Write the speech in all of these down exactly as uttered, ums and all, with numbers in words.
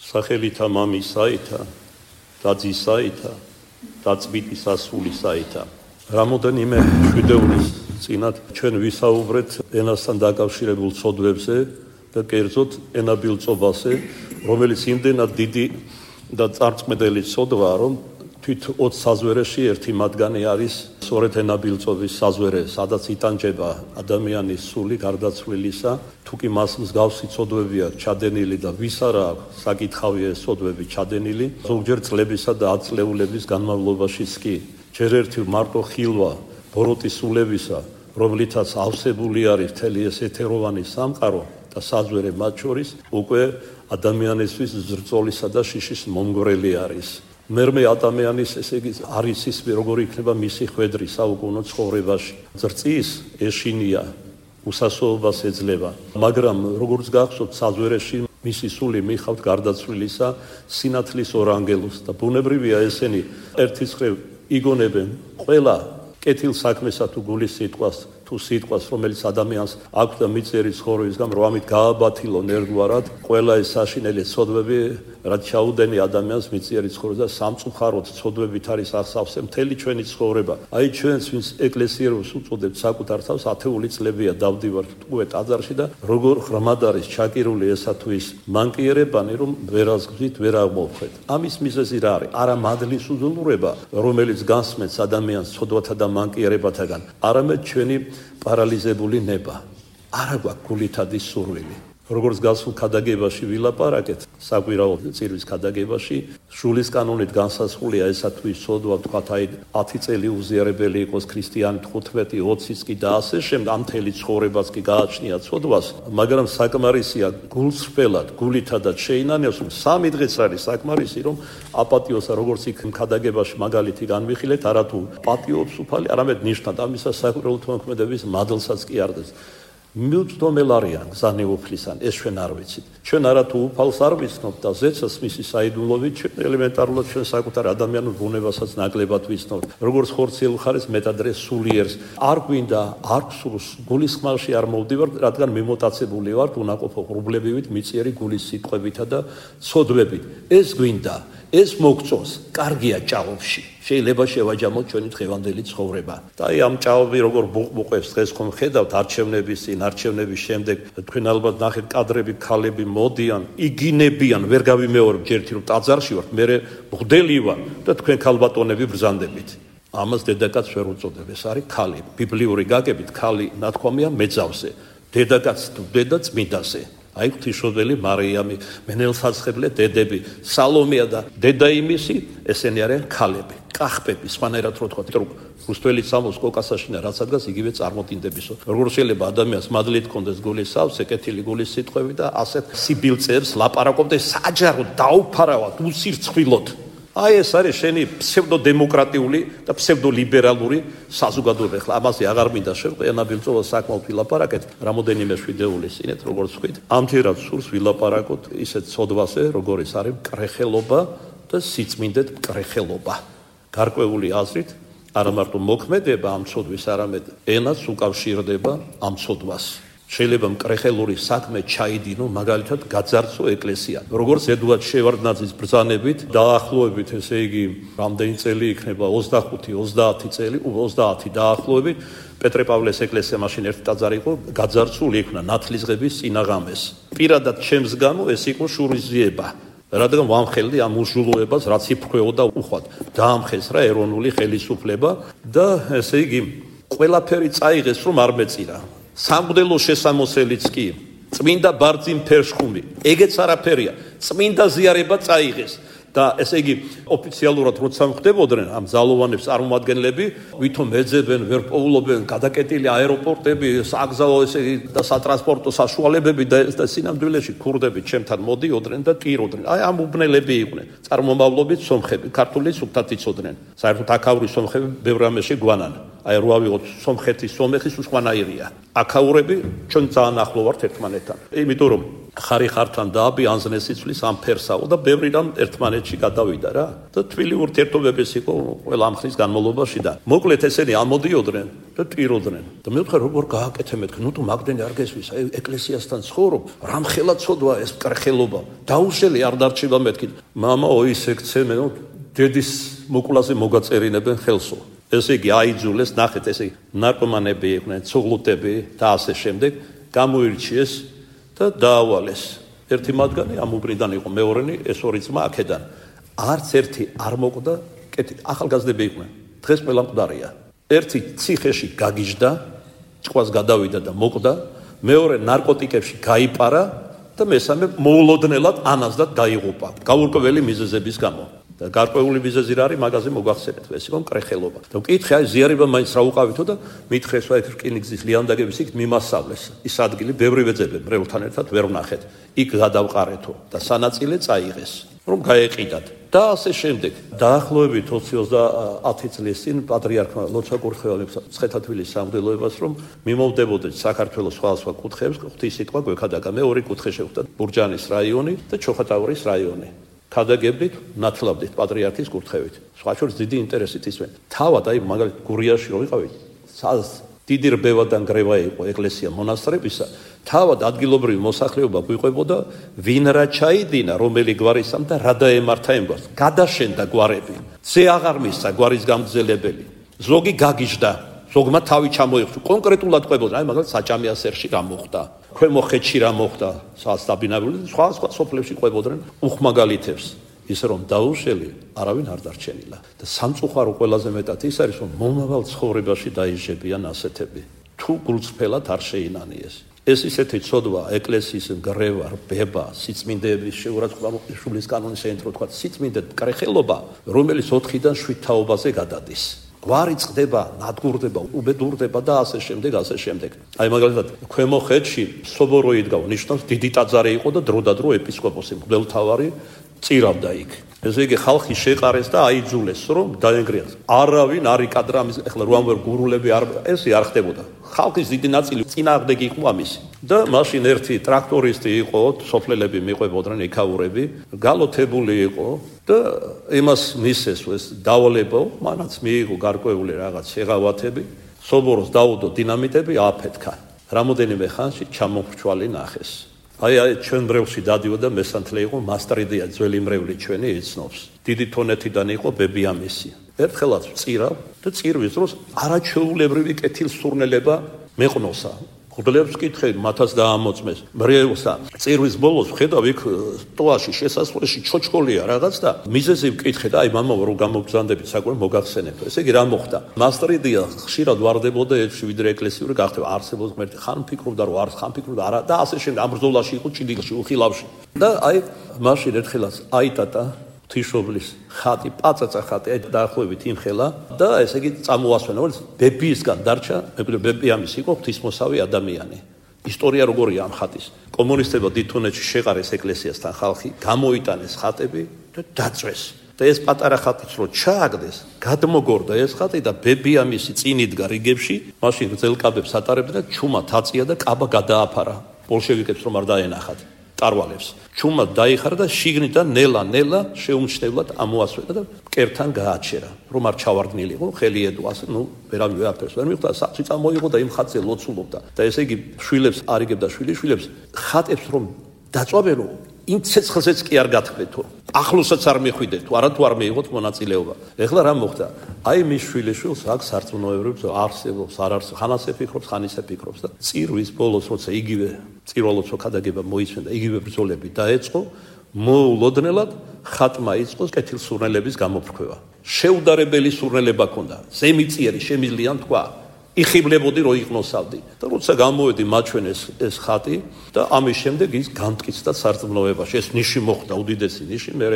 სახელითა მამისაითა და ძისაითა და წმინდის ასულისაითა. რამოდენიმე შვიდეულის წინათ ჩვენ ვისაუბრეთ ენასთან დაკავშირებულ ცოდვებზე და კერძოდ ენაბილწობაზე, რომელიც იმდენად დიდი და წარწმედელი ცოდვაა, რომ თვით ოც საზვერეში ერთი მათგანი არის სწორედ ენაბილწობის საზვერე, სადაც იტანჯება ადამიანის სული გარდაცვლილისა, თუ კი მას მსგავსი ცოდვები აქვს ჩადენილი და ვის არა აქვს საკითხავია ეს ცოდვები ჩადენილი, ზოგჯერ წლებისა და ათწლეულების განმავლობაშიც კი. ჯერ ერთი მარტო ხილვა ბოროტის სულებისა, რომლითაც ავსებული არის მთელი ეს ეთეროვანი სამყარო და საზვერე მათ შორის, უკვე ადამიანისთვის ზრწოლისა და შიშის მომგვრელი არის. მერმე ადამიანის, ესე იგი, არის ის, როგორი იქნება მისი ხვედრი საუკუნო ცხოვრებაში. ზრწის ეშინია, უსასოობას ეძლევა, მაგრამ როგორც გახსოვთ, საზვერეში მისი სული მიხავთ გარდაცვლილისა სინათლის ორ ანგელოზს და ბუნებრივია ესენი ერთის მხრივ იგონებენ ყველა კეთილ საქმესა თუ გულის სიტყვას თუ სიტყვას, რომელიც ადამიანს აქვს და მიწიერი ცხოვრების გამო რომ ამით გააბათილონ ერთგვარად ყველა ეს საშინელი ცოდვები, რაც ჩაუდენი ადამიანს მიწიერი ცხოვრება და სამწუხაროდ ცოდვებით არის ასავსე მთელი ჩვენი ცხოვრება. აი ჩვენს ვინც ეკლესიეროს უწოდებთ საკუთარ თავს, ათეული წლებია დავდივართ უკვე ტაძარში და როგორ ღრმად არის ჩაკირული ესა თუ ის მანკიერებანი, რომ ვერაზგვით, ვერ აღმოვხვეთ. ამის მიზეზი რა არის? არა მადლის უზრუნველობა, რომელიც გასმენს ადამიანს ცოდვათა და მანკიერებათაგან, არამედ ჩვენი პარალიზებული ნება. არა გვაქვს გულითადი სურვილი. როგორც გასულ ქადაგებაში ვილაპარაკეთ, საკვირაო წირვის ქადაგებაში, შულის კანონით განსაზღვრულია ესა თუ ის ცოდვა, ვთქვათ, აი ათი წელი უზიარებელი იყოს ქრისტიანი, თხუთმეტი, ოციც კი და ასე შემდეგ, ამ მთელი ცხოვრებას კი გააჩნია ცოდვას, მაგრამ საკმარისია გულსრფელად, გულითადად შეინანევს, რომ სამი დღეც არის საკმარისი, რომ აპატიოსა, როგორც იქ ქადაგებაში მაგალითი განვიხილეთ, არა თუ პატიობს უფალი, არამედ ნიშნად ამისა საკვირაო თქმედების მადლსაც კი არდეს. მიუწვდომელ არიან გზანეუფლისან, ეს ჩვენ არ ვიცით. ჩვენ არა თუ უფალს არ ვიცნობთ და ზეცას მისი საიდუმლობით ჩვენ ელემენტარულად ჩვენ საკუთარ ადამიანურ ბუნებასაც ნაკლებად ვიცნობთ. როგორც ხორციელ ხარეს მეტადრე სულიერს არ გვინდა, არ გსურს გულის ხმალში არ მოვდივართ, რადგან მიმოტაცებული ვართ უნაყოფო ღრუბლებივით, მიწიერი გულის სიტყვებითა და ცოდვებით. ეს გვინდა, ეს მოგწონს, კარგია ჭაობში. შეიძლება შევაჯამოთ ჩვენი დღევანდელი ცხოვრება. და აი ამ ჭაობი როგორ ბუყბუყებს დღეს ხომ ხედავთ არჩევნების წინ, არჩევნების შემდეგ, თქვენ ალბათ ნახეთ კადრები, ქალები მოდიან, იგინებიან, ვერ გავიმეორებ ჯერთი რომ ტაძარში ვართ, მე მღვდელი ვარ და თქვენ ქალბატონები ბრძანდებით. ამას დედაკაც ვერ უწოდებ, ეს არის ქალი. ბიბლიური გაგებით ქალი ნათქვამია მეძავზე, დედაკაც თუ დედა წმინდაზე. აი ღვთისმშობელი მარიამი, მენელსაცხებლე დედები, სალომეა და დედა იმისი, ესენი არიან ქალები, კახბები, სხვანაირად რო თქვა, რომ რუსთველი სამოს კოკასაშინა რაც ადგას იგივე წარმოდინდებისო. როგორ შეიძლება ადამიანს მადლით კონდეს გულის სავსე, კეთილი გულის სიტყვები და ასეთ სიბილწეებს ლაპარაკობდეს საჯაროდ დაუფარავად, უსირცხვილოდ. აი ეს არის შენი ფსევდოდემოკრატიული და ფსევდოლიბერალური საზოგადოება. ახლა ამაზე აღარ მინდა შევყვე, ენაბილწობას საკმაოდ ვილაპარაკეთ, რამოდენიმე შვიდეულის წინეთ, როგორც ვთქვით. ამჯერად სურს ვილაპარაკოთ ისეთ ცოდვაზე, როგორიც არის მკრეხელობა და სიწმინდეთ მკრეხელობა. გარკვეული აზრით, არა მარტო მოქმედება ამ ცოდვის, არამედ ენაც უკავშირდება ამ ცოდვას. შეიძლება მკრეხელური საქმე ჩაიდინო, მაგალითად გაძარცო ეკლესია. როგორც ედუარდ შევარდნაძის ბრძანებით, დაახლოებით, ესე იგი, რამდენი წელი იქნება, ოცდახუთი ოცდაათი წელი, ოცდაათი დაახლოებით, პეტრე-პავლეს ეკლესია მაშინ ერთი ტაძარი იყო, გაძარცული იქნა ნათლისღების წინაღამეს. პირადად ჩემს გამო ეს იყო შურისძიება. რადგან ვამხელდი ამ უშულოებას, რაც იფრქვეოდა უხვად. დაამხესრა ეროვნული ხელისუფლება და ესე იგი, ყველაფერი წაიღეს, რომ არ მეწირა. სამღვდელო შესამოსელიც კი, წმინდა ბარძიმ ფერშხუმი, ეგეც არაფერია, წმინდა ზიარება წაიღეს და ესე იგი ოფიციალურად როცა ხდებოდნენ ამ ძალოვანებს წარმომადგენლები, ვითომ ეძებენ, ვერ პოულობენ, გადაკეტილი აეროპორტები, საგზაო ესე იგი და სატრანსპორტო საშუალებები და სინამდვილეში ქურდები ჩემთან მოდიოდნენ და ტიროდნენ. აი ამ უბნელები იყვნენ, წარმომავლობით სომხები, ქართული სუფთად იცოდნენ. საერთოდ აქაური სომხები ბევრ რამეში გვანან. აი რო ავიღოთ სომხეთის, სომეხის უსხვანაირია. აქაურები ჩვენ ძალიან ახლო ვართ ერთმანეთთან. იმიტომ რომ ხარი ხართან დააბიანზნეს სიცვლის ამ ფერსაო და ბევრი რამ ერთმანეთში გადავიდა რა და თბილი ურთიერთობების იყო ყველა ამ ხნის განმავლობაში და მოკლედ ესენი ამოდიოდნენ და ტიროდნენ და მე ვთქვი როგორ გააკეთე მეთქი ნუ თუ მაგდენი არ გესვის აი ეკლესიასთან ცხოვრობ რამ ხელა ცოდვა ეს კრხელობა დაუშელი არ დარჩება მეთქი მამაო ისე ქცემე დედის მოკლაზე მოგაწერინებენ ხელსო ესე იგი აიძულეს ნახეთ ესე ნარკომანები იყვნენ ცუღლუტები და ასე შემდეგ გამოირჩიეს და დაავალეს ერთი მათგანი ამ უბრიდან იყო მეორენი ეს ორი ძმა აქედან არც ერთი არ მოკვდა კეთილ ახალგაზრდები იყვნენ დღეს ყველა მკვდარია ერთი ციხეში გაგიჟდა ჭყვას გადავიდა და მოკვდა მეორე ნარკოტიკებში გაიპარა და მესამე მოულოდნელად ანაზდად დაიღუპა გაურკვეველი მიზეზების გამო და გარკვეული მიზეზი რა არის მაგაზე მოგახსენეთ ეს იყო კრეხელობა და მკითხე აი ზიარება მაინც რა უყავითო და მითხრეს აი რკინიგზის ლიანდაგების იქ მიმასწავლეს ის ადგილი ბევრი ვეძებე მრევლთან ერთად ვერ ვნახეთ იქ გადავყარეთო და სანაწილე წაიღეს რომ გაეყიდათ და ასე შემდეგ დაახლოებით ოცი წლის წინ პატრიარქმა ლოცვა კურთხევალებს ცხეთათვილის სამღვდელოებას რომ მიმოვდებოდეთ საქართველოს სხვადასხვა კუთხეებს ღვთისმსიტყვა გვექადაგა მე ორი კუთხე შევხვდა ბურჯანის რაიონი და ჩოხატაურის რაიონი ქადაგებდით ნათლავდით პატრიარქის კურთხევით სხვა შორის დიდი ინტერესით ისმენ თავად აი მაგალითად გურიაში რო ვიყავით დიდი რბევა და ნგრევა იყო ეკლესია მონასტრებისა თავად ადგილობრივი მოსახლეობა გვიყვებოდა ვინ რა ჩაიდინა რომელი გვარისამ და რა დაემართა იმ გვარს გადაშენდა გვარები ზე აღარ მისცა გვარის გამგზელებელი ზოგი გაგიჟდა ზოგმა თავი ჩამოიღო კონკრეტულად ყვებოდა აი მაგალითად საჭამიასერში რა მოხდა ქვემო ხეთში რა მოხდა სასტაბინავილი სხვა სხვა სოფლებში ყვებოდნენ უხმაგალითებს ისე რომ დაუშელი არავინ არ დარჩენილა და სამწუხარო ყველაზე მეტად ის არის რომ მომავალ ცხოვრებაში დაიჟებიან ასეთები თუ გულწრფელად არ შეინანიეს ეს ისეთი ცოდვა ეკლესიის ნგრევა რბება სიწმინდეების შეურაცხყოფის კანონის საერთო თქვა სიწმინდე კრეხელობა რომელიც ოთხიდან შვიდ თაობაზე გადადის გვარი წყდება, ნადგურდება, უბედურდება და ასე შემდეგ, ასე შემდეგ. აი მაგალითად, ქვემო ხეთში სობორო იდგა, ნიშნავს დიდი ტაძარი იყო და დროდადრო ეპისკოპოსი, მღვდელმთავარი წირავდა იქ. ესე იგი ხალხი შეყარეს და აიძულეს, რომ დაენგრიათ. არავინ არ იკადრა ამის, ეხლა რომ ვერ გურულები არ ესე არ ხდებოდა. ხალხის დიდი ნაწილი წინააღმდეგი იყო ამისი. და მაშინ ერთი ტრაქტორისტი იყო, სოფლელები მიყვებოდნენ ეკაურები, გალოთებული იყო და იმას მისეს ეს დავალება, მანაც მიიღო გარკვეული რაღაც შეღავათები, სობოროს დაუდო დინამიტები აფეთქა. რამოდენიმე ხანში ჩამოხრჩვალი ნახეს. აი აი ჩვენ მრევლში დადიოდა მესანთლე იყო მასტრიდია ძველი მრევლი ჩვენი იცნობს. დიდი თონეთიდან იყო ბებიამისი. ერთხელაც წირავ და წირვის დროს არაჩვეულებრივი კეთილსურნელება მეყნოსა. ხუდლებს კითხე მათაც დაამოწმეს. მრევლსა წირვის ბოლოს ხედავ იქ ტოაში შესასვლელში ჩოჩქოლია რაღაც და მიზეზი ვკითხე და აი მამა რო გამოგზანდებით საკვე მოგახსენებთ. ესე იგი რა მოხდა? მასტრიდია ხშირად ვარდებოდა ეთში ვიდრე ეკლესიური გახდება არსებობს ღმერთი ხან ფიქრობდა რომ არ ხან ფიქრობდა არა და ასე შემდეგ ამ ბრძოლაში იყო ჭიდილში უხილავში. და აი მაშინ ერთხელაც აიტატა თიშობლის ხატი, პაწაწა ხატი, აი დაახლოებით იმხელა და ესე იგი წამოასვენა, რომ ბებიისგან დარჩა, მეგობრებო, ბებიამის იყო ღვთისმოსავი ადამიანი. ისტორია როგორია ამ ხატის? კომუნისტებმა დიდთონეთში შეყარეს ეკლესიასთან ხალხი, გამოიტანეს ხატები და დაწვეს. და ეს პატარა ხატიც რო ჩააგდეს, გადმოგორდა ეს ხატი და ბებიამისი წინ იდგა რიგებში, მაშინ გრძელკაბებს ატარებდა და ჩუმად აწია და კაბა გადააფარა. ბოლშევიკებს რომ არ დაენახათ. ტარვალებს. ჩუმა დაიხარა და შიგნიდან ნელა-ნელა შეუმჩნევლად ამოასვენა და მკერთან გააჩერა. რომ არ ჩავარდნილიყო, ხელი ედო ასე, ნუ ვერავინ ვეაფერს ვერ მიხვდა, საწვი წამოიღო და იმ ხატზე ლოცულობდა. და ესე იგი შვილებს არიგებდა შვილიშვილებს, ხატებს რომ დაწვავენო, იმ ცეცხლზეც კი არ გათქმეთო. ახლოსაც არ მიხვიდეთ, თუ არა თუ არ მიიღოთ მონაწილეობა. ეხლა რა მოხდა? აი მის შვილიშვილს აქ სარწმუნოევრებს არსებობს, არ არსებობს, ხან ასე ფიქრობს, ხან ისე ფიქრობს და წირვის ბოლოს როცა იგივე წირვალოცო ქადაგება მოიცვენდა, იგივე ბრძოლები დაეწყო, მოულოდნელად ხატმა იწყო კეთილსურნელების გამოფრქვევა. შეუდარებელი სურნელება ჰქონდა, ზემიწიერი შემიძლია თქვა. იხიბლებოდი რო იყნოსავდი და როცა გამოვედი მაჩვენეს ეს ხატი და ამის შემდეგ ის გამტკიცდა სარწმუნოებაში ეს ნიში მოხდა უდიდესი ნიში მე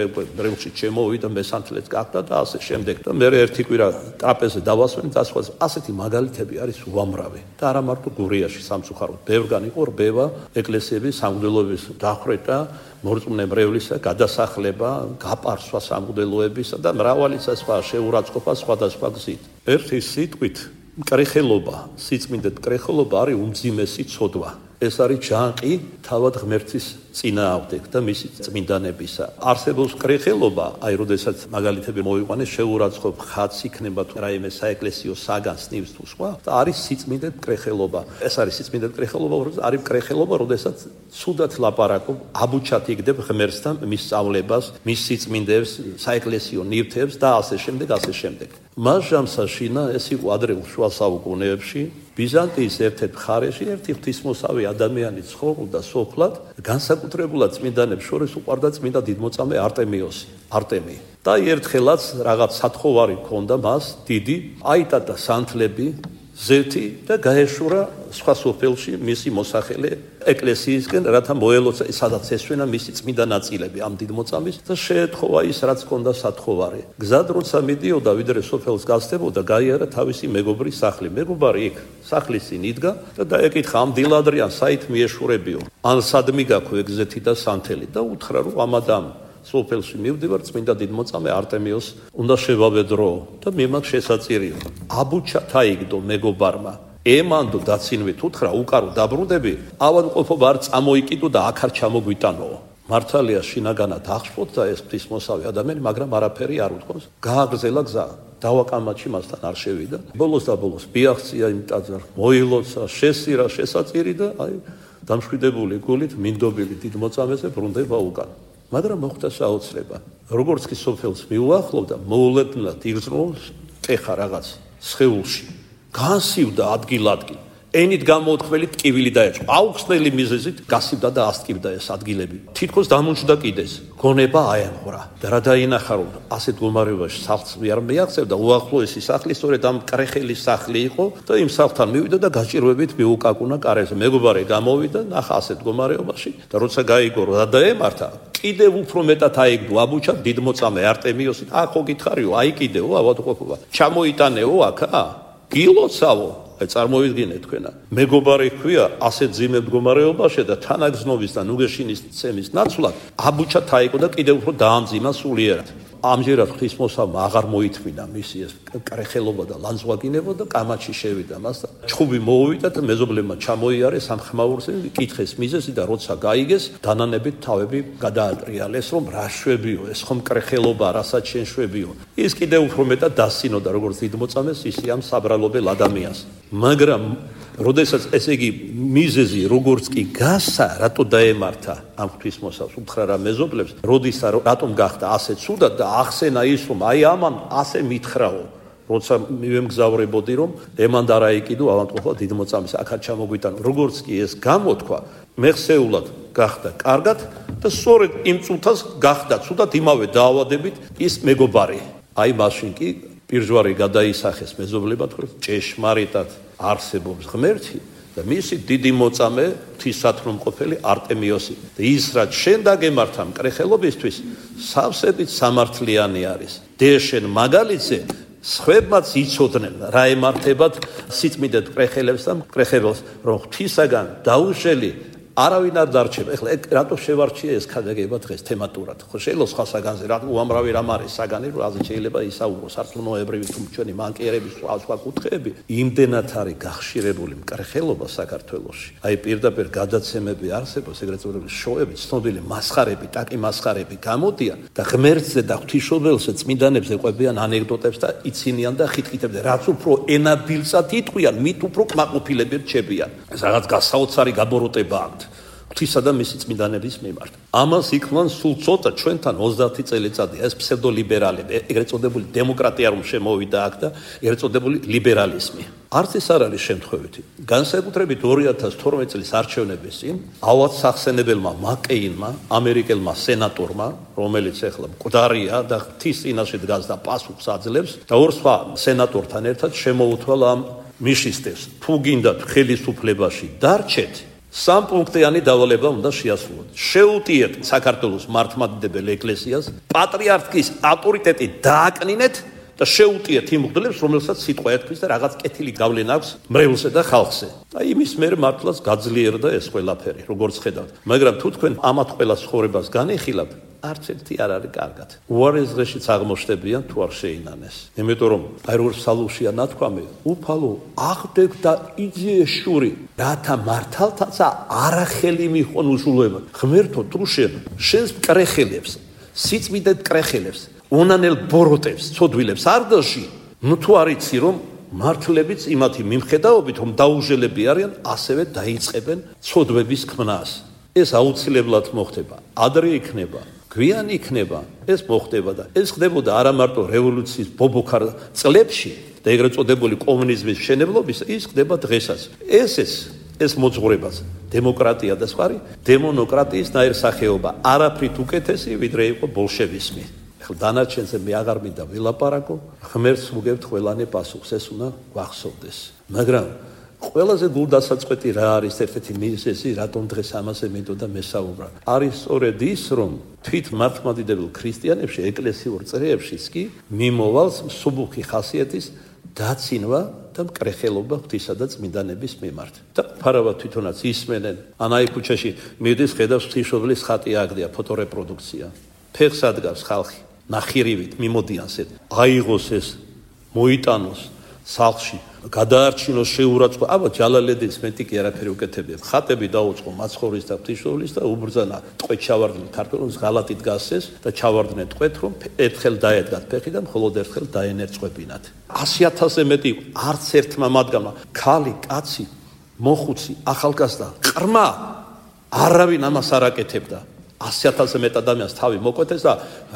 რევში ჩემოვიდა მესანთლეც გახდა და ასე შემდეგ და მე ერთი კვირა ტრაპეზზე დავასვენ და სხვა ასეთი მაგალითები არის უამრავი და არა მარტო გურიაში სამწუხაროდ ბევრგან იყო რბევა ეკლესიების სამღვდელოების დახვრეტა მორწმუნე მრევლისა გადასახლება გაპარსვა სამღვდელოებისა და მრავალი სხვა შეურაცხყოფა სხვადასხვა გზით ერთი სიტყვით მკრეხელობა, სიწმინდე მკრეხელობა არის უმძიმესი ცოდვა. ეს არის ჯანყი თავად ღმერთის წინააღმდეგ და მისი წმინდანებისა. არსებობს კრეხელობა, აი როდესაც მაგალითები მოვიყვანე, შეურაცხყოფ ხატს იქნება თუ რაიმე საეკლესიო საგანს ნივს თუ სხვა და არის სიწმინდე კრეხელობა. ეს არის სიწმინდე კრეხელობა, არის კრეხელობა, როდესაც ცუდად ლაპარაკობ, აბუჩად იგდებ ღმერთს და მის სწავლებას, მის სიწმინდეებს, საეკლესიო ნივთებს და ასე შემდეგ, ასე შემდეგ. მას ჟამსაშინა ეს იყო ადრეულ შუა საუკუნეებში ბიზანტიის ერთ-ერთ მხარეში ერთი ღვთისმოსავი ადამიანი ცხოვრობდა სოფლად, განსაკუთრებულად წმინდანებს შორის უყვარდა წმინდა დიდმოწამე არტემიოსი, არტემი. და ერთხელაც რაღაც სათხოვარი ჰქონდა მას, დიდი, აიტადა სანთლები, ზეთი და გაეშურა სხვა სოფელში მისი მოსახელე ეკლესიისკენ, რათა მოელოცა სადაც ესვენა მისი წმინდა ნაწილები ამ დიდმოწამის და შეეთხოვა ის რაც ჰქონდა სათხოვარი. გზად როცა მიდიოდა, ვიდრე სოფელს გასწდებოდა, გაიარა თავისი მეგობრის სახლი. მეგობარი იქ სახლის წინ იდგა და დაეკითხა ამ დილადრიან საით მიეშურებიო. ან სადმი გაქვე ეგზეთი და სანთელი და უთხრა რომ ამადამ სოფელში მივდივარ წმინდა დიდმოწამე არტემიოს უნდა შევავედრო და მე მაგ შესაწირიო. აბუჩა თაიგდო მეგობარმა ემანდო დაცინვით უთხრა უკარო დაბრუნდები ავადმყოფობა არ წამოიკიდო და აქ არ ჩამოგვიტანო. მართალია შინაგანად აღშფოთდა ეს ღვთისმოსავი ადამიანი, მაგრამ არაფერი არ უთქვამს. გააგრძელა გზა. დავაკამაჩი მასთან არ შევიდა. ბოლოს და ბოლოს ბიახცია იმ ტაძარ, მოილოცა, შესირა შესაწირი და აი დამშვიდებული გულით მინდობილი დიდმოწამეზე ბრუნდება უკან. მაგრამ მოხდა საოცრება. როგორც კი სოფელს მიუახლოვდა, მოულოდნელად იგრძნობს ტეხა რაღაც სხეულში. განსივდა ადგილ-ადგილ. ენით გამოუთხმელი ტკივილი დაეჭვა. აუხსნელი მიზეზით გასივდა და ასტკივდა ეს ადგილები. თითქოს დამუნჯდა კიდეს. გონება აემღვრა. და რა დაინახა რომ ასეთ მდგომარეობაში სახლს არ მიაღწევდა, უახლოესი სახლი სწორედ ამ კრეხელის სახლი იყო და იმ სახლთან მივიდა და გაჭირვებით მიუკაკუნა კარებზე. მეგობარი გამოვიდა, ნახა ასეთ მდგომარეობაში და როცა გაიგო რა დაემართა, კიდევ უფრო მეტად აიგდო აბუჩა დიდმოწამე არტემიოსი. ახო გითხარიო, აი კიდევ ავადმყოფობა. ჩამოიტანეო აქა? გილოცავო. აი წარმოვიდგინე თქვენა. მეგობარი ჰქვია ასეთ ძიმე მდგომარეობაში და თანაგზნობის და ნუგეშინის ცემის ნაცვლად აბუჩა თაიკო და კიდევ უფრო დაამძიმა სულიერად. ამჯერად ღვთისმოსავმა აღარ მოითმინა მისი ეს კრეხელობა და ლანძღვაგინება და კამაჩი შევიდა მას და ჩხუბი მოუვიდა და მეზობლებმა ჩამოიარეს ამ ხმაურზე, კითხეს მიზეზი და როცა გაიგეს, დანანებით თავები გადაატრიალეს, რომ რა შვებიო, ეს ხომ კრეხელობა, რასაც შენ შვებიო. ის კიდევ უფრო მეტად დასცინოდა როგორც დიდმოწამეს, ისე ამ საბრალობელ ადამიანს. მაგრამ როდესაც ესე იგი მიზეზი როგორც კი გასა, რატო დაემართა ამ ღვთისმოსავს, უთხრა რა მეზობლებს, როდისა რატომ გახდა ასე ცუდად და ახსენა ის რომ აი ამან ასე მითხრაო, როცა მივემგზავრებოდი რომ ემან და რაიკიდო ავადმყოფობა დიდმოწამის აქაც ჩამოგვიტანო. როგორც კი ეს გამოთქვა, მეხსეულად გახდა კარგად და სწორედ იმ წუთას გახდა ცუდად იმავე დაავადებით ის მეგობარი. აი მაშინ კი პირჯვარი გადაისახეს მეზობლებად, რომ ჭეშმარიტად არსებობს ღმერთი და მისი დიდი მოწამე ღვთისათნომყოფელი არტემიოსი. და ის რაც შენ დაგემართა მკრეხელობისთვის, სავსებით სამართლიანი არის. დეშენ მაგალითზე სხვებმაც იცოდნენ რა ემართებათ სიწმინდეთ კრეხელებს და კრეხებელს, რომ ღვთისაგან დაუშველი არავინ არ დარჩება. ეხლა რატო შევარჩიე ეს ქადაგება დღეს თემატურად? ხო შეიძლება სხვა საგანზე რა უამრავი რამ არის საგანი, რომ აზე შეიძლება ისაუბრო სარწმუნოებრივი თუ ჩვენი მანკიერების სხვა სხვა კუთხეები. იმდენად არის გახშირებული მკრეხელობა საქართველოში. აი პირდაპირ გადაცემები არსებობს, ეგრეთ წოდებული შოუები, ცნობილი მასხარები, ტაკი მასხარები გამოდიან და ღმერთზე და ღვთისმშობელზე წმინდანებზე ყვებიან ანეკდოტებს და იცინიან და ხიტკიტებდნენ. რაც უფრო ენადილსად იტყვიან, მით უფრო კმაყოფილები რჩებიან. ეს რაღაც გასაოცარი გაბოროტებაა ღვთისა და მისი წმინდანების მიმართ. ამას იქმნან სულ ცოტა ჩვენთან ოცდაათი წელიწადი ეს ფსევდოლიბერალები, ეგრეთ წოდებული დემოკრატია რომ შემოვიდა აქ და ეგრეთ წოდებული ლიბერალიზმი. არც ეს არ არის შემთხვევითი. განსაკუთრებით ორი ათას თორმეტი წლის არჩევნების წინ ავად სახსენებელმა მაკეინმა, ამერიკელმა სენატორმა, რომელიც ახლა მკვდარია და ღვთის წინაშე დგას და პასუხს აძლევს და ორ სხვა სენატორთან ერთად შემოუთვალა ამ მიშისტებს, თუ გინდათ ხელისუფლებაში დარჩეთ, სამპუნქტიანი დავალება უნდა შეასრულოთ. შეუტიეთ საქართველოს მართლმადიდებელ ეკლესიას, პატრიარქის ავტორიტეტი დააკნინეთ და შეუტიეთ იმ მღვდლებს, რომელსაც სიტყვა ეთქვის და რაღაც კეთილი გავლენა აქვს მრევლზე და ხალხზე. და იმის მერე მართლაც გაძლიერდა ეს ყველაფერი, როგორც ხედავთ. მაგრამ თუ თქვენ ამათ ყველა ცხოვრებას განეხილავთ, არც ერთი არ არის კარგად. უარეს დღეშიც აღმოჩნდებიან თუ არ შეინანეს. იმიტომ რომ აი როგორ ფსალმურშია ნათქვამი, უფალო აღდებ და იძიეშური, რათა მართალთაცა არახელი მიხონ უზრუნველად. ღმერთო თუ შენ შენს მკრეხელებს, სიწმიდედ მკრეხელებს, უნანელ ბოროტებს, ცოდვილებს არ დაში, ნუ თუ არ იცი რომ მართლებიც იმათი მიმხედაობით რომ დაუჟელები არიან, ასევე დაიწყებენ ცოდვების ქმნას. ეს აუცილებლად მოხდება. ადრე იქნება, გვიან იქნება, ეს მოხდება და ეს ხდებოდა არა მარტო რევოლუციის ბობოქარ წლებში და ეგრეთ წოდებული კომუნიზმის მშენებლობის, ის ხდება დღესაც. ეს ეს ეს მოძღვრებაც დემოკრატია და სხვა დემონოკრატიის ნაირ სახეობა, არაფრით უკეთესი ვიდრე იყო ბოლშევიზმი. ახლა დანარჩენზე მე აღარ მინდა ვილაპარაკო, ღმერთს ვუგებთ ყველანი პასუხს, ეს უნდა გვახსოვდეს. მაგრამ ყველაზე გულდასაწყვეტი რა არის ერთ-ერთი მიზეზი, რატომ დღეს ამაზე მინდოდა მესაუბრა. არის სწორედ ის, რომ თვით მართლმადიდებელ ქრისტიანებში, ეკლესიურ წრეებშიც კი მიმოვალს მსუბუქი ხასიათის დაცინვა და მკრეხელობა ღვთისა და წმინდანების მიმართ. და ფარავად თვითონაც ისმენენ, ანაი ქუჩაში მიდის, ხედავს ღვთისმშობლის ხატი აგდია, ფოტორეპროდუქცია. ფეხს ადგავს ხალხი, ნახირივით მიმოდიანს ეს, აიღოს ეს, მოიტანოს სახლში, გადაარჩინოს შეურაცხყოფა. აბა ჯალალედის მეტი კი არაფერი უკეთებია. ხატები დაუწყო მაცხოვრის და ღვთისმშობლის და უბრძანა ტყვედ ჩავარდნენ ქართველებს, ღალატი დგასეს და ჩავარდნენ ტყვედ, რომ ერთხელ დაედგათ ფეხი და მხოლოდ ერთხელ დაენერწყვებინათ. ასი ათასზე მეტი არც ერთმა მათგანმა, ქალი, კაცი, მოხუცი, ახალგაზრდა, ყრმა, არავინ ამას არ აკეთებდა. ასი ათასზე მეტ ადამიანს თავი მოკვეთეს და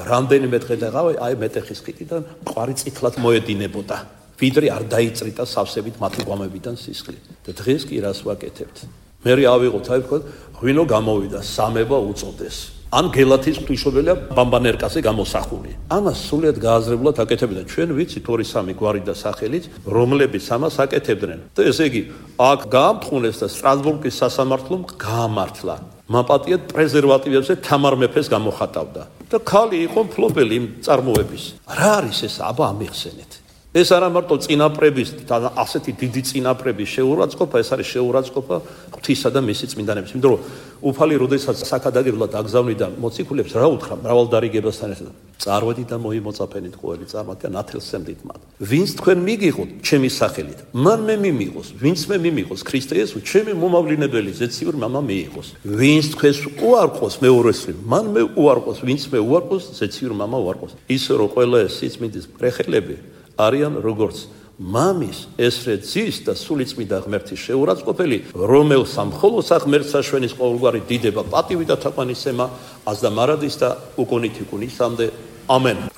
რამდენიმე დღე დაყავა, აი მეტეხის ხიდიდან მყარი წითლად მოედინებოდა. ვიდრე არ დაიწრიტა სავსებით მათი ღვამებიდან სისხლი. და დღეს კი რას ვაკეთებთ? მე ავიღოთ, აი ვთქვათ, ღვინო გამოვიდა, სამება უწოდეს. ან გელათის ღვთისმშობელია ბამბანერკაზე გამოსახული. ამას სულიად გააზრებულად აკეთებდა. ჩვენ ვიცით ორი სამი გვარი და სახელით, რომლებიც ამას აკეთებდნენ. და ესე იგი, აქ გაამთხუნეს და სტრასბურგის სასამართლომ გაამართლა. მაპატიეთ პრეზერვატივებზე თამარ მეფეს გამოხატავდა. და ქალი იყო მფლობელი იმ წარმოების. რა არის ეს? აბა ამიხსენეთ. ეს არა მარტო წინაპრების და ასეთი დიდი წინაპრების შეურაცხყოფა, ეს არის შეურაცხყოფა ღვთისა და მისი წმინდანების. იმიტომ რომ უფალი როდესაც საქადაგებლად აგზავნიდა მოციქულებს, რა უთხრა მრავალდარიგებასთან ერთად? წარვედით და მოიმოწაფენით ყოველი წარმატი და ნათელსემდით მათ. ვინც თქვენ მიგიღოთ ჩემი სახელით, მან მე მიმიღოს, ვინც მე მიმიღოს ქრისტე იესო, ჩემი მომავლინებელი ზეციური მამა მიიღოს. ვინც თქვენს უარყოს მეორესრივ, მან მე უარყოს, ვინც მე უარყოს, ზეციური მამა უარყოს. ისე რომ ყველა ეს სიწმინდის მკრეხელები არიან როგორც მამის ესრე ძის და სულიწმიდა ღმერთის შეურაცხყოფელი, რომელსა მხოლოდ ღმერთს აშვენის ყოველგვარი დიდება, პატივი და თაყვანისცემა, აზ და მარადის და უკუნით იკუნისამდე. ამენ.